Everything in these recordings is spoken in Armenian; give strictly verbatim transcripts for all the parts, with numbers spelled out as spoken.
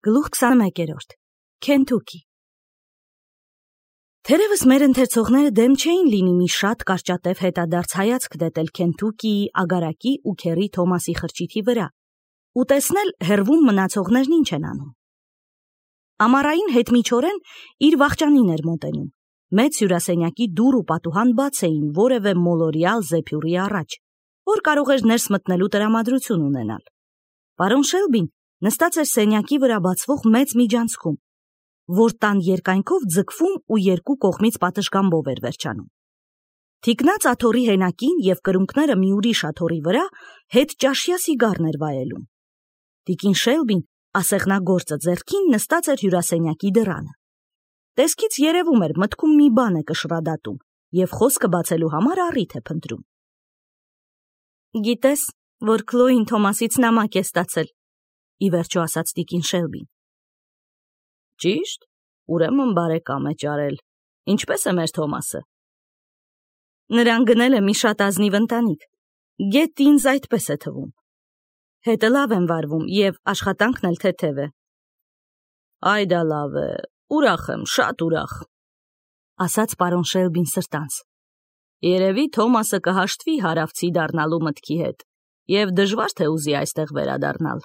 Գլուխ քսանմեկերորդ. Քենթուքի։ Թերևս մեր ընթերցողները դեմ չէին լինի մի շատ կարճատև հետադարձ հայացք դետել Քենթուքիի ագարակի ու քերի Թոմասի խրճիթի վրա ու տեսնել հեռվում մնացողներն ինչ են անում։ Ամառային հետմիջօրեն իր վախճանին էր մոտենում։ Մեծ հյուրասենյակի դուռ ու պատուհան բաց էին որևէ մոլորյալ զեփյուռի առաջ, որ կարող էր ներս մտնելու տրամադրություն ունենալ։ Պարոն Շելբին նստած էր սենյակի վրա բացվող մեծ միջանցքում, որ տան երկայնքով ձգվում ու երկու կողմից պատշգամբով էր վերջանում։ Թիկնած աթոռի հենակին և կրունկները մի ուրիշ աթոռի վրա հետ ճաշյա սիգարն էր վայելում։ Տիկին Շելբին ասեղնագործը ձեռքին նստած էր հյուրասենյակի դռանը։ Տեսքից երևում էր մտքում մի բան է կշռադատում և խոսքը բացելու համար առիթ է փնտրում։ Գիտես, որ Քլոին Թոմասից նամակ է ստացել, ի վերջո ասաց տիկին Շելբին։ Ճիշտ, ուրեմն բարեկամ է ճարել։ Ինչպես է մեր Թոմասը։ Նրան գնել է մի շատ ազնիվ ընտանիք։ Գետ ինձ այդպես է թվում։ Հետը լավ են վարվում և աշխատանքն էլ թեթև է։ Այ դա լավ է, ուրախ եմ, շատ ուրախ, ասաց պարոն Շելբին սրտանց։ Երևի Թոմասը կհաշտվի հարավցի դառնալու մտքի հետ և դժվար թե ուզի այստեղ վերադառնալ։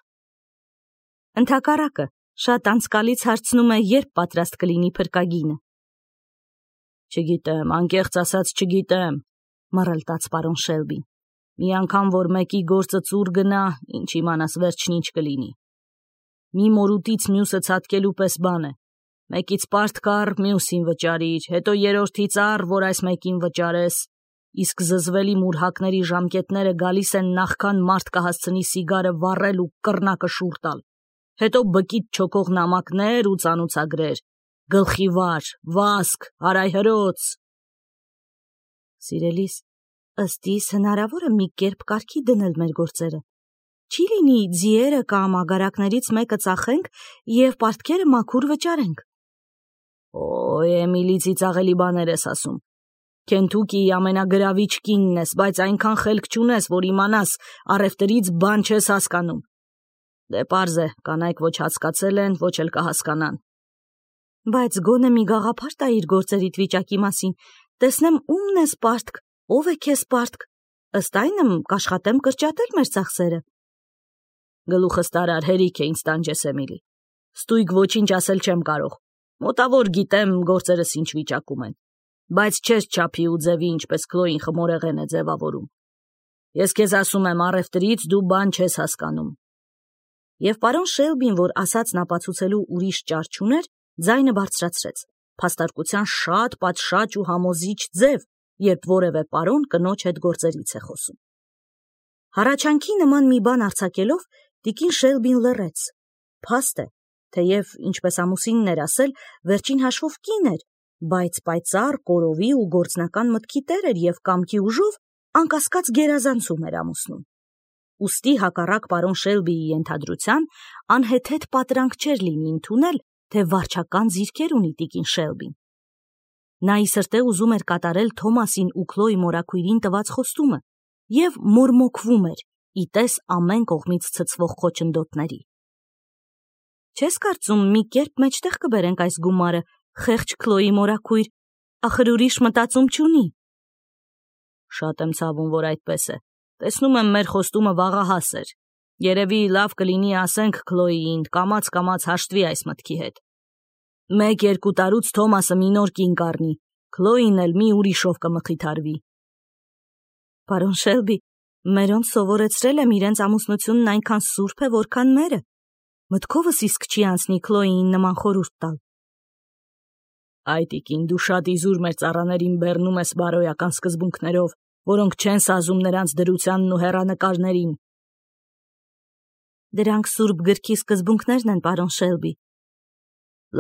Ընդհակառակը, շատ անցկալից հարցնում է, երբ պատրաստ կլինի փրկագինը։ Չգիտեմ, անկեղծ ասած չգիտեմ, մռլտաց պարոն Շելբին։ Մի անգամ որ մեկի գործը ծուռ գնա, ինչ իմանաս վերջն ինչ կլինի։ Մի մորուտից մյուսը ցատկելու պես բան է։ Մեկից պարտ կար, մյուսին վճարիր, հետո երրորդից առ, որ այս մեկին վճարես, իսկ զզվելի մուրհակների ժամկետները գալիս են նախքան մարդ կհասցնի սիգարը վառել ու կռնակը շուռ տալ, հետո բկիտ չոքող նամակներ ու ծանուցագրեր, գլխի վար, վասկ, հարայհրոց։ Սիրելիս, ըստ իս հնարավոր է մի կերպ կարգի դնել մեր գործերը։ Չի լինի ձիերը կամ ագարակներից մեկը ծախենք և պարտքերը մաքուր վճարենք։ Օ, Էմիլի ծիծաղելի բաներ ես ասում։ Քենթուքիի ամենագրավիչ կինն ես, բայց այնքան խելք չունես, որ իմանաս առևտրից բան չես հասկանում։ Դե պարզ է, կանայք ոչ հասկացել են, ոչ էլ կհասկանան։ Բայց գոնե մի գաղափար տա իր գործերիդ վիճակի մասին, տեսնեմ ումն ես պարտք, ով է քեզ պարտք, ըստ այնմ կաշխատեմ կրճատել մեր ծախսերը։ Գլուխս տարար, հերիք է ինձ տանջես, Էմիլի։ Ստույգ ոչինչ ասել չեմ կարող։ Մոտավոր գիտեմ գործերս ինչ վիճակում են, բայց չես չափի ու ձևի, ինչպես Քլոին խմորեղեն է ձևավորում։ Ես քեզ ասում եմ, առևտրից դու բան չես հասկանում։ Եվ պարոն Շելբին, որ ասածն ապացուցելու ուրիշ ճար չուներ, ձայնը բարձրացրեց, փաստարկության շատ պատշաճ ու համոզիչ ձև, երբ որևէ պարոն կնոջ հետ գործերից է խոսում։ Հառաչանքի նման մի բան արձակելով, տիկին Շելբին լռեց։ Փաստ է, թեև, ինչպես ամուսինն էր ասել, վերջին հաշվով կին էր, բայց պայծառ, կորովի ու գործնական մտքի տեր էր և կամքի ուժով անկասկած գերազանցում էր ամուսնուն։ Ուստի հակառակ պարոն Շելբիի ենթադրության, անհեթեթ պատրանք չէր լինի ընդունել, թե վարչական ձիրքեր ունի տիկին Շելբին։ Նա ի սրտե ուզում էր կատարել Թոմասին ու Քլոյի մորաքույրին տված խոստումը և մորմոքվում էր, ի տես ամեն կողմից ցցվող խոչընդոտների։ Չես կարծում մի կերպ մեջտեղ կբերենք այս գումարը, խեղճ Քլոյի մորաքույր, ախր ուրիշ մտածում չունի։ Շատ եմ ցավում, որ այդպես է։ Տեսնում եմ, մեր խոստումը վաղահաս էր։ Երևի լավ կլինի ասենք Քլոյին, կամաց-կամաց հաշտվի այս մտքի հետ։ Մեկ-երկու տարուց Թոմասը մի նոր կին կառնի, Քլոյին էլ մի ուրիշով կմխիթարվի։ Պարոն Շելբի, մերոնց սովորեցրել եմ իրենց ամուսնությունն այնքան սուրբ է, որքան մերը։ Մտքովս իսկ չի անցնի Քլոյին նման խորհուրդ տալ։ Այ տիկին, դու շատ իզուր մեր ծառաներին բեռնում ես բարոյական սկզբունքներով, որոնք չեն սազում նրանց դրությանն ու հեռանկարներին։ Դրանք սուրբ գրքի սկզբունքներն են, պարոն Շելբի։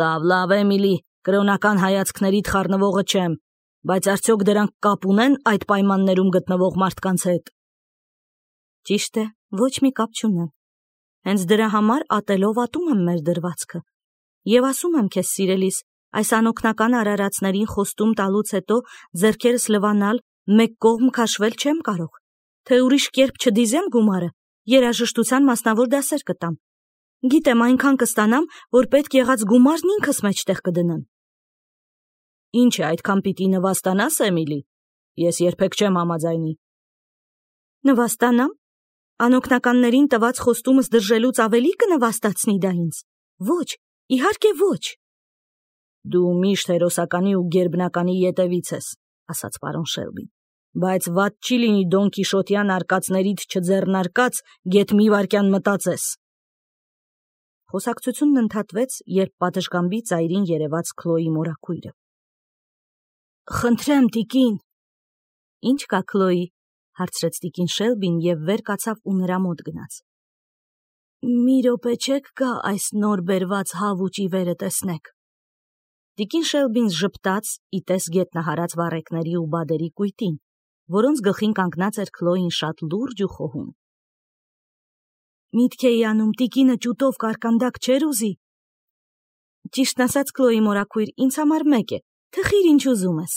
Լավ, լավ, Էմիլի, կրոնական հայացքներիդ խառնվողը չեմ, բայց արդյոք դրանք կապ ունեն այդ պայմաններում գտնվող մարդկանց հետ։ Ճիշտ է, ոչ մի կապ չունեն։ Հենց դրա համար ատելով ատում եմ մեր դրվածքը։ Եվ ասում եմ քեզ, սիրելիս, այս անօգնական արարածներին խոստում տալուց հետո ձեռքերս լվանալ, մեկ կողմ քաշվել չեմ կարող, թե ուրիշ կերպ չդիզեմ գումարը, երաժշտության մասնավոր դասեր կտամ։ Գիտեմ այնքան կստանամ, որ պետք եղած գումարն ինքս մեջտեղ կդնեմ։ Ինչ է, այդքան պիտի նվաստանաս, Էմիլի։ Ես երբեք չեմ համաձայնի։ Նվաստանամ։ Անօգնականներին տված խոստումս դրժելուց ավելի կնվաստացնի դա ինձ։ Ոչ, իհարկե ոչ։ Դու միշտ հերոսականի ու գերբնականի ետևից ես, ասաց պարոն Շելբին, բայց վատ չի լինի Դոն Կիշոտյան արկածներիդ չձեռնարկած գեթ մի վայրկյան մտածես։ Խոսակցությունն ընդհատվեց, երբ պատշգամբի ծայրին երևաց Քլոյի մորաքույրը։ Խնդրեմ, տիկին։ Ինչ կա, Քլոյի, հարցրեց տիկին Շելբին և վեր կացավ ու նրա մոտ գնաց։ Մի րոպե չեք գա այս նոր բերված հավուճի վերը տեսնեք։ Տիկին Շելբին ժպտաց, իտես գետնահարած վառեկների ու բադերի կույտին, որոնց գլխին կանգնած էր Քլոյին շատ լուրջ ու խոհում։ Միտք էի անում, տիկինը ճուտով կարկանդակ չէր ուզի։ Ճիշտն ասած, Քլոյի մորաքույր, ինձ համար մեկ է, թխիր ինչ ուզում ես։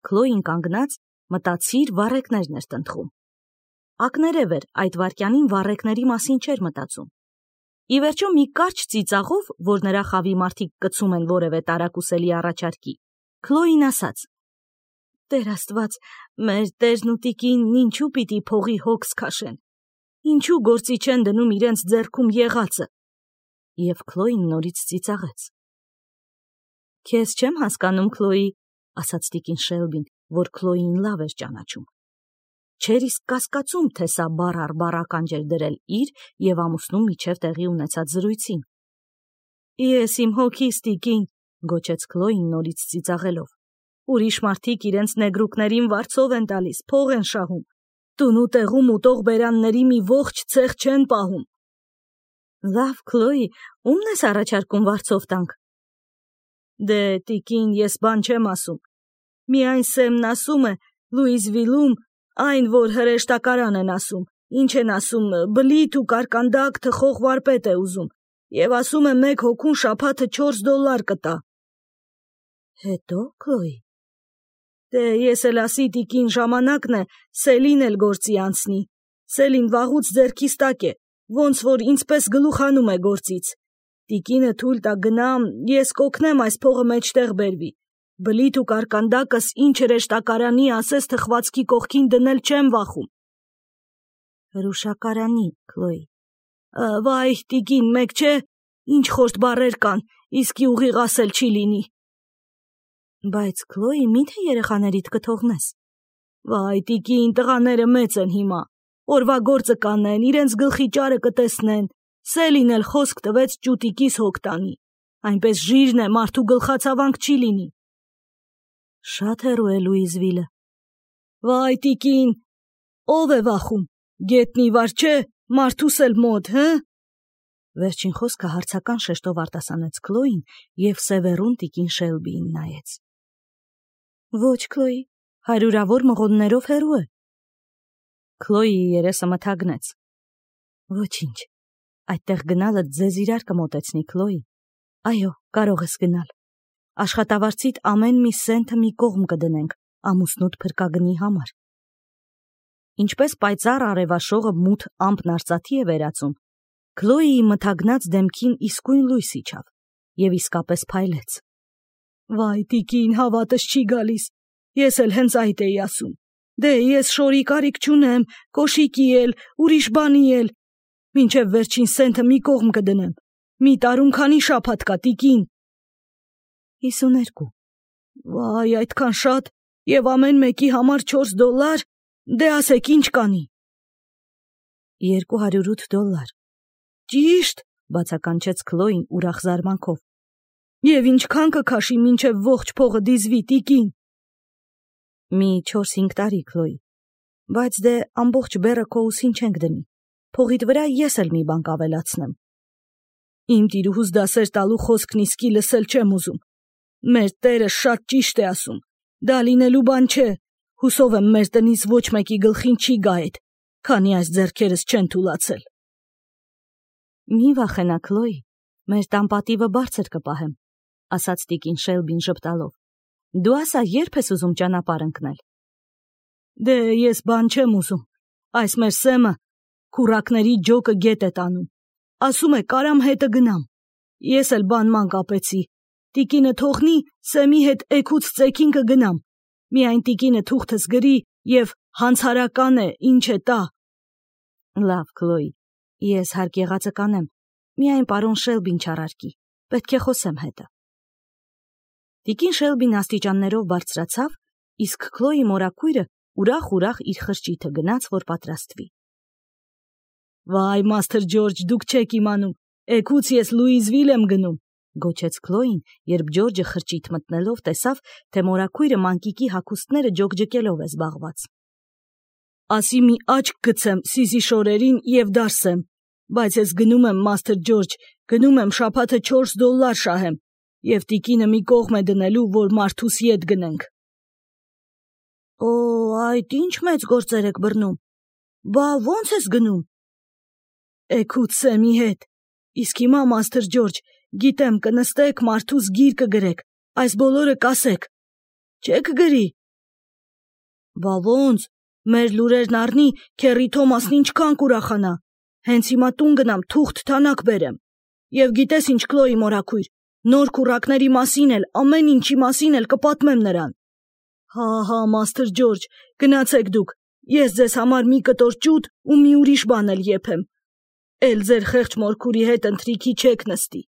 Քլոյին կանգնած մտածիր վառեկներն էր տնտղում։ Ակներև էր, այդ վայրկյանին վառեկների մասին չէր մտածում։ Ի վերջո մի կարճ ծիծաղով, որ նրա խավի մարդիկ կցում են որևէ տարակուսելի առաջարկի, Քլոյին ասաց. Տեր Աստված, մեր տերն ու տիկին ինչու պիտի փողի հոգս քաշեն։ Ինչու գործի չեն դնում իրենց ձեռքում եղածը։ Եվ Քլոյին նորից ծիծաղեց։ Քեզ չեմ հասկանում, Քլոյի, ասաց տիկին Շելբին, որ Քլոյին լավ էր ճանաչում։ Չէր իսկ կասկածում, թե սա բառ առ բառ ականջ էր դրել իր և ամուսնու միջև տեղի ունեցած զրույցին։ Ես իմ հոգիս, տիկին, գոչեց Քլոյին նորից ծիծաղելով։ Ուրիշ մարդիկ իրենց նեգրուկներին վարձով են տալիս, փող են շահում։ Տուն ու տեղում ուտող բերանների մի ողջ ցեղ չեն պահում։ Լավ, Քլոյի, ումն ես առաջարկում վարձով տանք։ Դե, տիկին, ես բան չեմ ասում։ Միայն Սեմն ասում է, Լուիզվիլում, այն, որ հրեշտակարան են ասում, ինչ են ասում, բլիթ ու կարկանդակ թխող վարպետ է ուզում, և ասում է մեկ հոգուն շաբաթը չորս դոլար կտա։ Հետո, Քլոյի։ Դե, ես էլ ասի, տիկին, ժամանակն է, Սելին էլ գործի անցնի։ Սելին վաղուց ձեռքիս տակ է, ոնց որ ինձպես գլուխանում է գործից։ Տիկինը թույլ տա գնամ, ես կօգնեմ այս փողը մեջտեղ բերվի։ Բլիթ ու կարկանդակս ինչ հրեշտակարանի ասես թխվածքի կողքին դնել չեմ վախում։ Հրուշակարանի, Քլոյի։ Վայ, տիկին, մեկ չէ, ինչ խորտ բառեր կան, իսկի ուղիղ ասել չի լինի։ Բայց, Քլոյի, միթե երեխաներիդ կթողնես։ Վայ, տիկին, տղաները մեծ են հիմա։ Օրվա գործը կանեն, իրենց գլխի ճարը կտեսնեն։ Սելին էլ խոսք տվեց ճուտիկիս հոգ տանի։ Այնպես ժիրն է, մարդու գլխացավանք չի լինի։ Շատ հեռու է Լուիզվիլը։ Վայ, տիկին, ով է վախում, գետնի վար չէ, մարդուս էլ մոտ, հը։ Վերջին խոսքը հարցական շեշտով արտասանեց Քլոյին և սևեռուն տիկին Շելբիին նայեց։ Ոչ, Քլոյի, հարյուրավոր մղոններով հեռու է։ Քլոյիի երեսը մթագնեց։ Ոչինչ, այդտեղ գնալը ձեզ իրար կմոտեցնի, Քլոյի։ Այո, կարող ես գնալ։ Աշխատավարձիդ ամեն մի սենթը մի կողմ կդնենք ամուսնուդ փրկագնի համար։ Ինչպես պայծառ արևաշողը մութ ամպն արծաթի է վերածում, Քլոյիի մթագնած դեմքին իսկույն լույս իջավ և իսկապես փայլեց։ Վայ, տիկին, հավատս չի գալիս, ես էլ հենց այդ էի ասում։ Դե, ես շորի կարիք չունեմ, կոշիկի էլ, ուրիշ բանի էլ։ Մինչև վերջին սենթը մի կողմ կդնեմ։ Մի տարում քանի շաբաթ կա, տիկին։ հիսուներկու։ Վայ, այդքան շատ, և ամեն մեկի համար չորս դոլար, դե ասեք ինչ կանի։ Երկու հարյուր ութ դոլար։ Ճիշտ, բացականչեց Քլոյին ուրախ զարմանքով։ Եվ ինչքան կքաշի մինչև ողջ փողը դիզվի, տիկին։ Մի չորս-հինգ տարի, Քլոյի, բայց դե ամբողջ բեռը քո ուսին չենք դնի, փողիդ վրա ես էլ մի բան կավելացնեմ։ Իմ տիրուհուս դասեր տալու խոսքն իսկի լսել չեմ ուզում։ Մեր տերը շատ ճիշտ է ասում, դա լինելու բան չէ, հուսով եմ մեր տնից ոչ մեկի գլխին չի գա էդ, քանի այս ձեռքերս չեն թուլացել։ Մի վախենա, Քլոյի, մեր տան պատիվը բարձր կպահեմ, ասաց տիկին Շելբին ժպտալով։ Դու ասա, երբ ես ուզում ճանապարհ ընկնել։ Դե, ես բան չեմ ուզում, այս մեր Սեմը քուրակների ջոկը գետ է տանում, ասում է կարամ հետը գնամ։ Ես էլ բանման կապեցի։ Տիկինը թողնի, Սեմի հետ էգուց ծեքին կգնամ։ Միայն տիկինը թուղթս գրի և հանցարական է, ինչ է տա։ Լավ, Քլոյ, ես հարկ եղածը կանեմ, միայն պարոն Շելբին չառարկի, պետք է խոսեմ հետը։ Տիկին Շելբին աստիճաններով բարձրացավ, իսկ Քլոյի մորաքույրը ուրախ-ուրախ իր խրճիթը գնաց, որ պատրաստվի։ Վայ, Մաստր Ջորջ, դուք չեք իմանում, էգուց ես Լուիզվիլ եմ գնում, գոչեց Քլոյին, երբ Ջորջը խրճիթ մտնելով տեսավ, թե մորաքույրը մանկիկի հագուստները ջոկջկելով է զբաղված։ Ասի մի աչք գցեմ Սիզի շորերին և դարսեմ, բայց ես գնում եմ, Մաստր Ջորջ, գնում եմ շաբաթը չորս դոլլար շահեմ, և տիկինը մի կողմ է դնելու, որ մարդուս ետ գնենք։ Օ, այդ ինչ մեծ գործեր եք բռնում, բա ո՞նց ես գնում։ Էգուց Սեմի հետ, իսկ հիմա, Մաստր Ջորջ, գիտեմ կնստեք, մարդուս գիր կգրեք, այս բոլորը կասեք, չեք գրի։ Բա ոնց, մեր լուրերն առնի, քեռի Թոմասն ինչքան կուրախանա, հենց հիմա տուն գնամ, թուղթ թանակ բերեմ։ Եվ գիտես ինչ, Քլոյի մորաքույր, նոր քուռակների մասին էլ, ամեն ինչի մասին էլ կպատմեմ նրան։ Հա, հա, Մաստր Ջորջ, գնացեք դուք, ես ձեզ համար մի կտոր ճուտ ու մի ուրիշ բան էլ եփեմ։ Էլ ձեր խեղճ մորքուրի հետ ընթրիքի չեք նստի։